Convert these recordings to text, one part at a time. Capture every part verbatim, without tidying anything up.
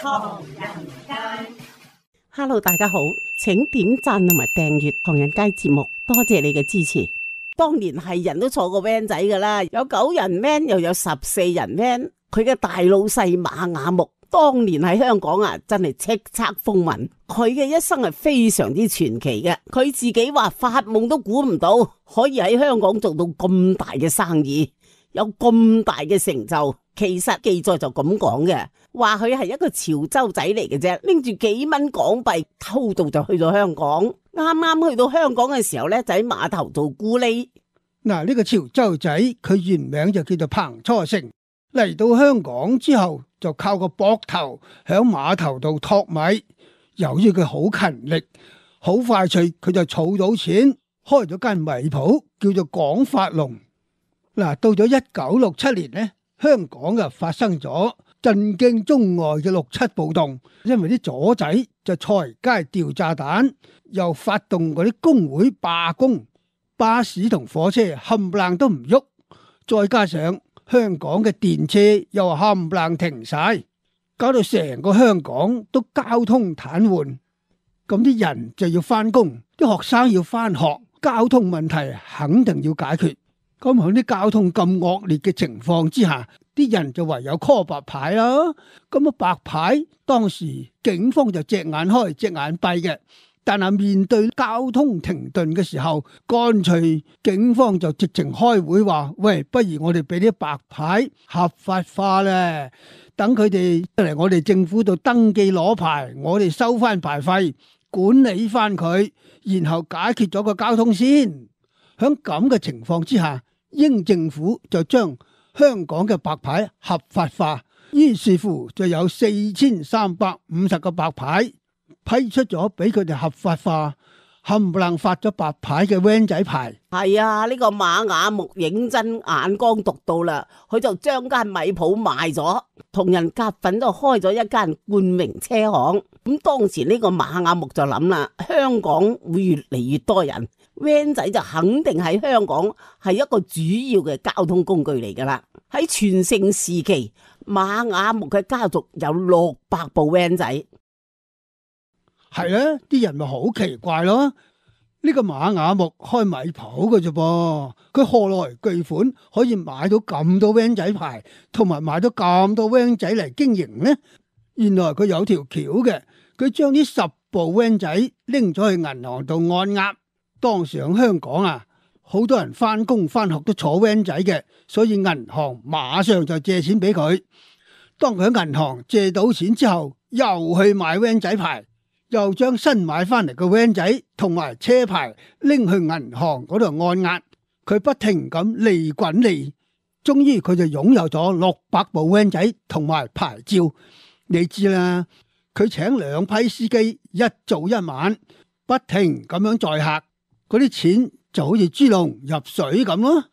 唐人街。Hello， 大家好，請點讚同埋訂閱唐人街節目，多謝你嘅支持。當年係人都坐過 van 仔噶啦，有九人 van 又有十四人 van。佢嘅大老細馬雅木，當年喺香港啊，真係叱咤風雲。佢嘅一生係非常之傳奇嘅，佢自己話發夢都估唔到可以喺香港做到咁大嘅生意，有咁大嘅成就。其實記載就咁講嘅，話佢係一個潮州仔嚟嘅啫，拎住幾蚊港幣偷渡就去咗香港。啱啱去到香港嘅時候呢，就喺碼頭做咕喱。嗱，呢個潮州仔佢原名就叫做彭初成，嚟到香港之後就靠個膊頭響碼頭度托米。由於佢好勤力，好快脆，佢就儲到錢，開咗間米鋪，叫做廣發隆。嗱，到咗一九六七年呢，香港啊發生咗震驚中外嘅六七暴動，因為啲左仔就隨街掉炸彈，又發動嗰啲工會罷工，巴士同火車冚唪唥都唔喐，再加上香港嘅電車又冚唪唥停晒，搞到成個香港都交通癱瘓。咁啲人就要翻工，啲學生要翻學，交通問題肯定要解決。咁喺啲交通咁惡劣嘅情況之下，啲人就唯有 call 白牌啦。咁啊白牌，當時警方就隻眼開隻眼閉嘅，但係面對交通停頓嘅時候，乾脆警方就直情開會話：喂，不如我哋俾啲白牌合法化咧，等佢哋嚟我哋政府度登記攞牌，我哋收翻牌費，管理翻佢，然後解決咗個交通先。喺咁嘅情況之下，英政府就將香港嘅白牌合法化，於是乎就有四千三百五十個白牌批出咗俾佢哋合法化，冚唪唥發咗白牌嘅 van 仔牌。係啊，呢個馬雅木認真眼光獨到啦，佢就將間米鋪賣咗，同人夾份就開咗一間冠名車行。咁當時呢個馬雅木就諗啦，香港會越嚟越多人，van 仔就肯定喺香港係一個主要嘅交通工具嚟噶啦。喺全盛時期，馬雅木嘅家族有六百部 van 仔。係咧，啲人咪好奇怪咯。呢個馬雅木開米鋪嘅啫噃，佢何來巨款可以買到咁多 van 仔牌，同埋買到咁多 van 仔嚟經營呢？原來佢有條橋嘅，佢將呢十部 van 仔拎咗去銀行度按壓。當時喺香港啊，好多人翻工翻學都坐 van 仔嘅，所以銀行馬上就借錢俾佢。當佢喺銀行借到錢之後，又去買 van 仔牌，又將新買翻嚟嘅 van 仔同埋車牌拎去銀行嗰度按壓。佢不停咁利滾利，終於佢就擁有咗六百部 van 仔同埋牌照。你知啦，佢請兩批司機一早一晚，不停咁樣載客，嗰啲錢就好似豬籠入水咁咯。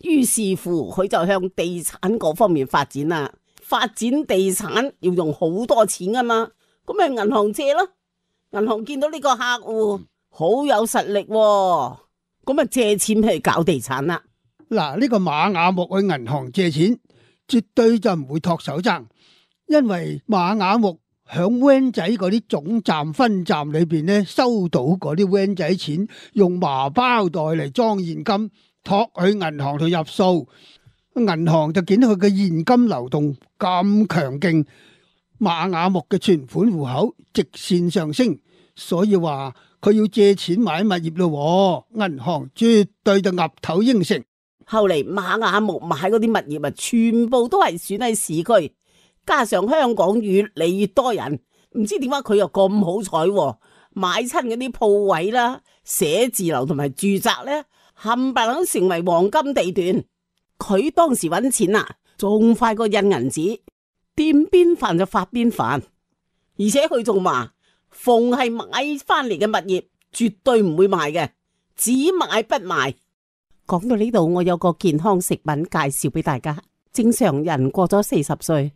於是乎，佢就向地產嗰方面發展啦。發展地產要用好多錢噶嘛，咁咪銀行借咯。銀行見到呢個客戶好有實力，咁咪借錢去搞地產啦。嗱，呢個馬雅木去銀行借錢，絕對就唔會托手踭。因為馬雅木響 van 仔嗰啲總站分站裏邊咧，收到嗰啲 van 仔錢，用麻包袋嚟裝現金，托去銀行度入數。銀行就見到佢嘅現金流動咁強勁，馬雅木嘅存款戶口直線上升，所以話佢要借錢買物業咯。銀行絕對就岌頭應承。後嚟馬雅木買嗰啲物業啊，全部都係選喺市區。加上香港越嚟越多人，唔知點解佢又咁好彩，買親嗰啲鋪位啦、寫字樓同埋住宅咧，冚唪唥成為黃金地段。佢當時搵錢啊，仲快過印銀紙，掂邊飯就發邊飯。而且佢仲話，逢係買翻嚟嘅物業，絕對唔會賣嘅，只買不賣。講到呢度，我有個健康食品介紹俾大家。正常人過咗四十歲，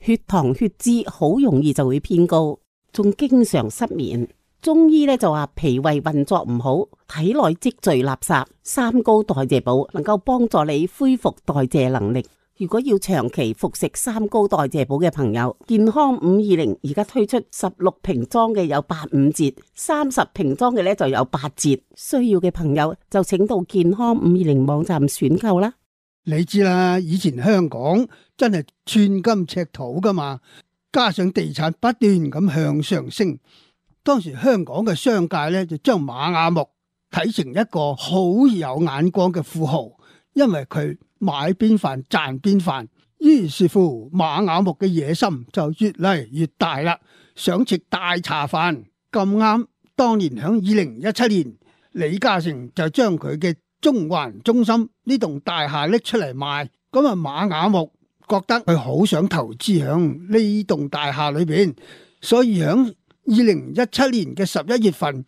血糖血脂好容易就會偏高，仲經常失眠。中醫咧就話脾胃運作唔好，體內積聚垃圾，三高代謝寶能夠幫助你恢復代謝能力。如果要長期服食三高代謝寶嘅朋友，健康五二零而家推出十六瓶裝嘅有八五折，三十瓶裝嘅咧就有八折。需要嘅朋友就請到健康五二零網站選購啦。你知啦，以前香港真係寸金尺土噶嘛，加上地產不斷咁向上升，當時香港嘅商界咧就將馬雅木睇成一個好有眼光嘅富豪，因為佢買邊飯賺邊飯，於是乎馬雅木嘅野心就越嚟越大啦，想食大茶飯。咁啱當年響二零一七年，李嘉誠就將佢嘅中環中心呢棟大廈拎出嚟賣，咁啊馬雅木覺得佢好想投資響呢棟大廈裏邊，所以響二零一七年嘅十一月份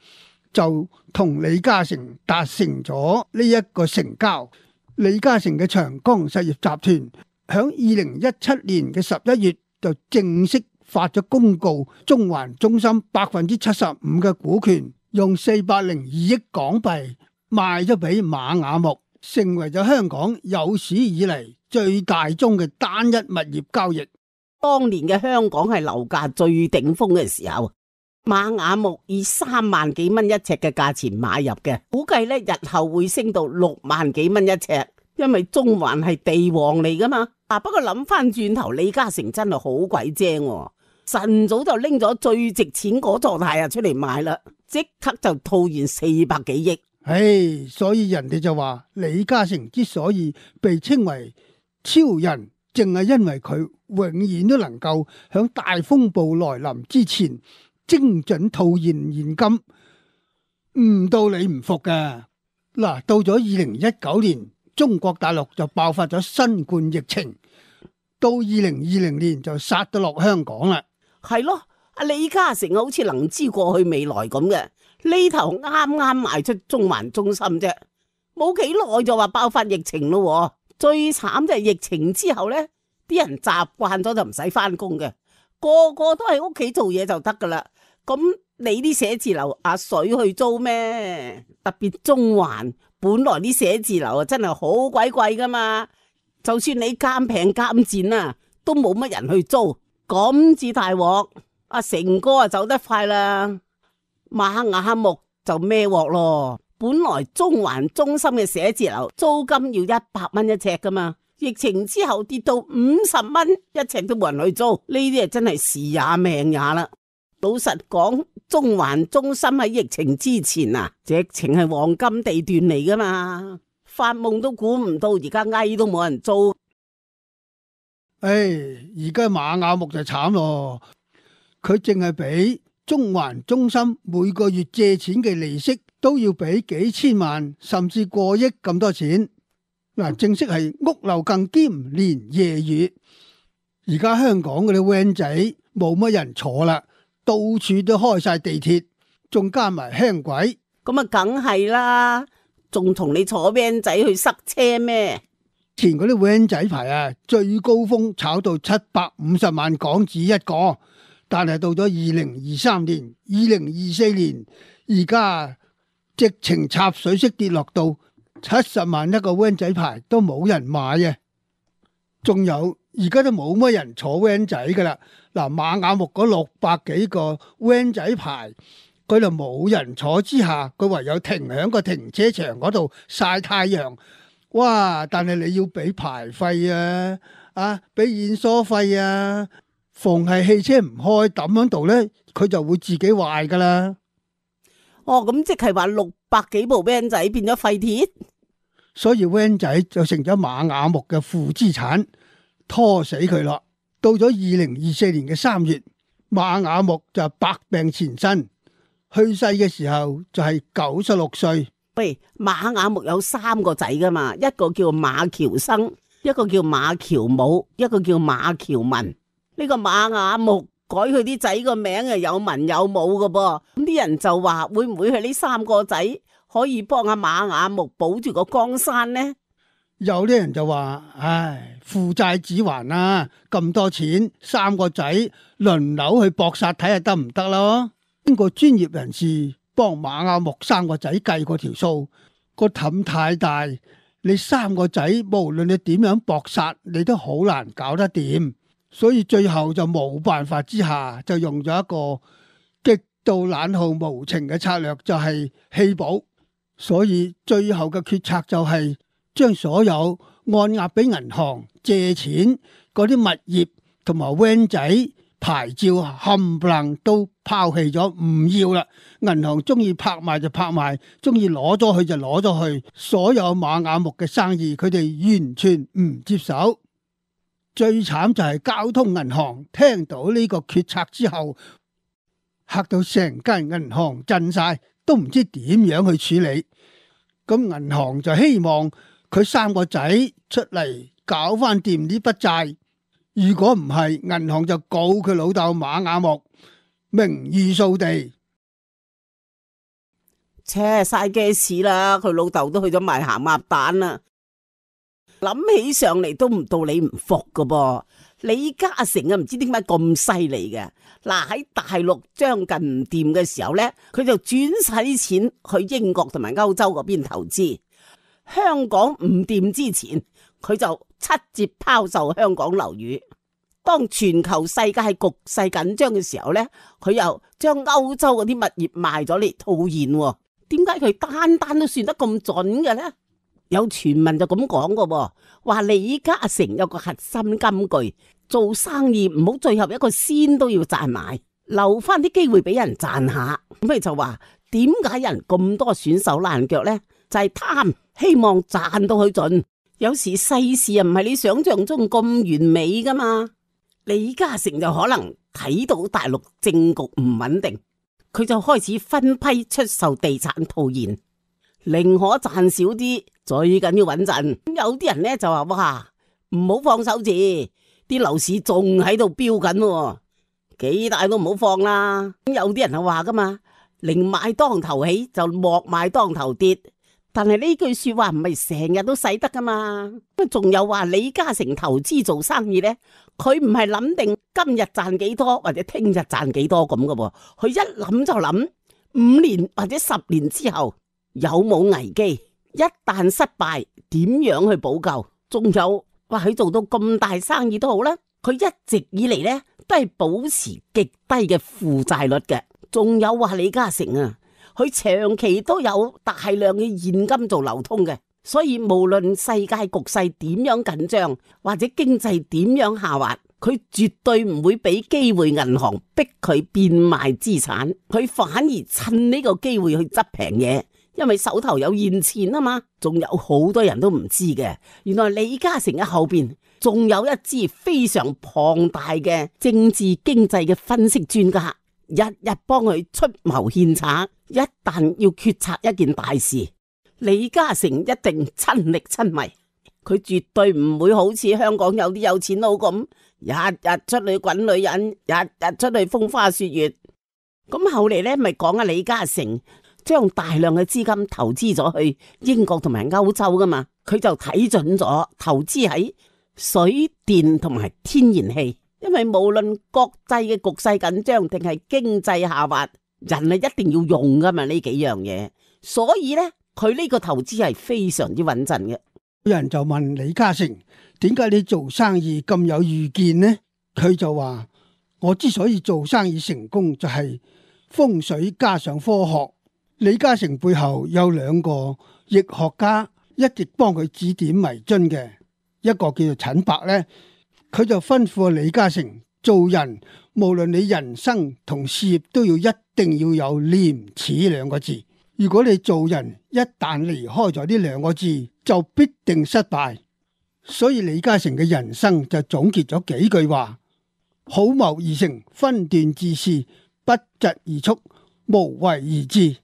就同李嘉誠達成咗呢一個成交。李嘉誠嘅長江實業集團響二零一七年嘅十一月就正式發咗公告，中環中心百分之七十五嘅股權用四百零二億港幣賣咗俾馬雅木，成為咗香港有史以嚟最大宗嘅單一物業交易。當年嘅香港係樓價最頂峰嘅時候，馬雅木以三萬幾蚊一尺嘅價錢買入嘅，估計咧日後會升到六萬幾蚊一尺，因為中環係地王嚟噶嘛。啊，不過諗翻轉頭，李嘉誠真係好鬼精，晨早就拎咗最值錢嗰座大廈出嚟賣啦，即刻就套現四百幾億。唉，所以人哋就話李嘉誠之所以被稱為超人，淨係因為佢永遠都能夠響大風暴來臨之前精準套現現金，唔到你唔服㗎。嗱，到咗二零一九年，中國大陸就爆發咗新冠疫情，到二零二零年就殺到落香港啦。係咯，阿李嘉誠好似能知過去未來咁嘅，呢頭啱啱賣出中環中心啫，冇幾耐就話爆發疫情咯。最慘就係疫情之後呢，啲人習慣咗就唔使翻工嘅，個個都喺屋企做嘢就得噶啦。咁你啲寫字樓阿水去租咩？特別中環本來啲寫字樓啊真係好鬼貴噶嘛，就算你監平監賤啊，都冇乜人去租，咁至大鑊。阿成哥啊走得快啦，馬雅木就孭鑊咯。本來中環中心嘅寫字樓租金要一百蚊一尺噶嘛，疫情之後跌到五十蚊一尺都冇人去租，呢啲啊真係時也命也啦。老實講，中環中心喺疫情之前啊，直情係黃金地段嚟噶嘛，發夢都估唔到而家嗌都冇人租。唉，而家馬雅木就慘咯，佢淨係俾中環中心每個月借錢嘅利息都要俾幾千萬，甚至過億咁多錢。嗱，正式係屋漏更兼連夜雨。而家香港嗰啲 van 仔冇乜人坐啦，到處都開晒地鐵，仲加埋輕軌，咁啊梗係啦，仲同你坐 van 仔去塞車咩？前嗰啲 van 仔牌啊，最高峰炒到七百五十萬港紙一個，但係到咗二零二三年、二零二四年，而家直情插水式跌落到七十萬一個 van 仔牌都冇人買啊！仲有而家都冇乜人坐 van 仔噶啦。嗱，馬雅木嗰六百幾個 van 仔牌，佢就冇人坐之下，佢唯有停喺個停車場嗰度曬太陽。哇！但係你要俾牌費啊，啊，俾驗疏費啊，逢係汽車唔開抌喺度呢，佢就會自己壞噶啦。哦，咁即係話六百幾部 van 仔變咗廢鐵，所以 van 仔就成咗馬雅木嘅負資產，拖死佢咯。到咗二零二四年嘅三月，馬雅木就百病纏身，去世嘅時候就係九十六歲。喂，馬雅木有三個仔噶嘛，一個叫馬喬生，一個叫馬喬武，一個叫馬喬文。呢、這個馬雅木改佢啲仔個名啊，有文有武噶噃。咁啲人就話會唔會係呢三個仔可以幫阿馬雅木保住個江山呢？有啲人就話，唉，父債子還啊，咁多錢，三個仔輪流去搏殺睇下得唔得咯？經過專業人士幫馬雅木三個仔計過條數，個氹太大，你三個仔無論你點樣搏殺，你都好難搞得掂。所以最後就冇辦法之下，就用咗一個極度冷酷無情嘅策略，就係棄保。所以最後嘅決策就係將所有按壓俾銀行借錢嗰啲物業同埋 van 仔牌照冚唪唥都拋棄咗，唔要啦。銀行中意拍賣就拍賣，中意攞咗去就攞咗去。所有瑪雅木嘅生意，佢哋完全唔接手。最慘就係交通銀行聽到呢個決策之後，嚇到成間銀行震晒，都唔知點樣去處理。咁銀行就希望佢三個仔出嚟搞翻掂呢筆債。如果唔係，銀行就告佢老豆瑪雅木名譽掃地。切晒嘅事啦，佢老豆都去咗賣鹹鴨蛋啦。諗起上嚟都唔到你唔服噶噃。李嘉誠啊，唔知點解咁犀利嘅。嗱，喺大陸將近唔掂嘅時候呢，佢就轉晒啲錢去英國同埋歐洲嗰邊投資。香港唔掂之前，佢就七折拋售香港樓宇。當全球世界局勢緊張嘅時候呢，佢又將歐洲嗰啲物業賣咗嚟套現。點解佢單單都算得咁準嘅呢？有傳聞就咁講嘅，話李嘉誠有個核心金句：做生意唔好最後一個仙都要賺埋，留翻啲機會俾人賺下。咁佢就話點解人咁多選手爛腳呢？就係貪，希望賺到佢盡。有時世事啊唔係你想象中咁完美噶嘛。李嘉誠就可能睇到大陸政局唔穩定，佢就開始分批出售地產套現，寧可賺少啲，最緊要穩陣。有啲人呢就話：哇，唔好放手字，啲樓市仲喺度飆緊，幾大都唔好放啦。有啲人係話噶嘛，寧買當頭起就莫買當頭跌。但係呢句說話唔係成日都使得噶嘛。仲有話李嘉誠投資做生意呢，佢唔係諗定今日賺幾多或者聽日賺幾多咁噶噃，佢一諗就諗五年或者十年之後有冇危機，一旦失敗點樣去補救。仲有話佢做到咁大生意都好啦，佢一直以嚟呢都係保持極低嘅負債率嘅。仲有話李嘉誠啊，佢長期都有大量嘅現金做流通嘅，所以無論世界局勢點樣緊張或者經濟點樣下滑，佢絕對唔會俾機會銀行逼佢變賣資產，佢反而趁呢個機會去執平嘢，因為手頭有現錢啊嘛。仲有好多人都唔知嘅，原來李嘉誠嘅後邊仲有一支非常龐大嘅政治經濟嘅分析專家，日日幫佢出謀獻策。一旦要決策一件大事，李嘉誠一定親力親為，佢絕對唔會好似香港有啲有錢佬咁，日日出去滾女人，日日出去風花雪月。咁後嚟呢咪講啊，李嘉誠將大量嘅資金投資咗去英國同埋歐洲噶嘛，佢就睇準咗投資喺水電同埋天然氣，因為無論國際嘅局勢緊張定係經濟下滑，人係一定要用噶嘛呢幾樣嘢，所以呢，佢呢個投資係非常之穩陣嘅。有人就問李嘉誠：點解你做生意咁有預見呢？佢就話：我之所以做生意成功，就係風水加上科學。李嘉誠背後有兩個易學家一直幫佢指點迷津嘅，一個叫做陳伯呢，佢就吩咐李嘉誠做人，無論你人生同事業都要一定要有廉恥兩個字。如果你做人一旦離開咗呢兩個字，就必定失敗。所以李嘉誠嘅人生就總結咗幾句話：好謀而成，分段自是，不疾而速，無為而治。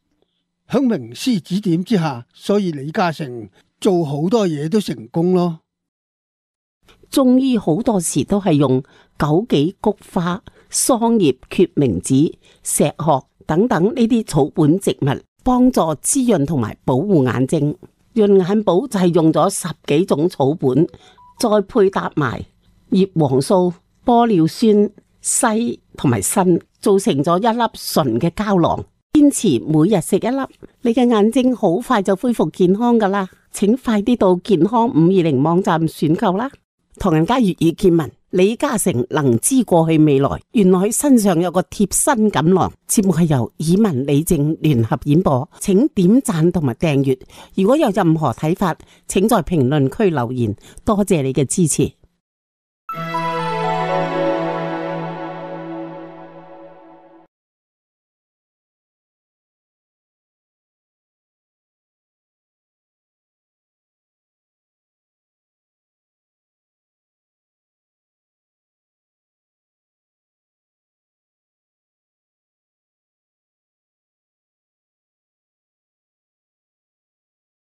喺名師指點之下，所以李嘉誠做好多嘢都成功咯。中醫好多時都係用枸杞、菊花、桑葉、決明子、石殼等等呢啲草本植物幫助滋潤同埋保護眼睛。潤眼寶就係用咗十幾種草本，再配搭埋葉黃素、玻尿酸、硒同埋鋅，做成咗一粒純嘅膠囊。堅持每日食一粒，你嘅眼睛好快就恢復健康噶啦。請快啲到健康五二零網站選購啦。唐人街粵語見聞，李嘉誠能知過去未來，原來佢身上有個貼身錦囊。節目係由以文李靜聯合演播，請點讚同埋訂閱。如果有任何睇法，請在評論區留言。多謝你嘅支持。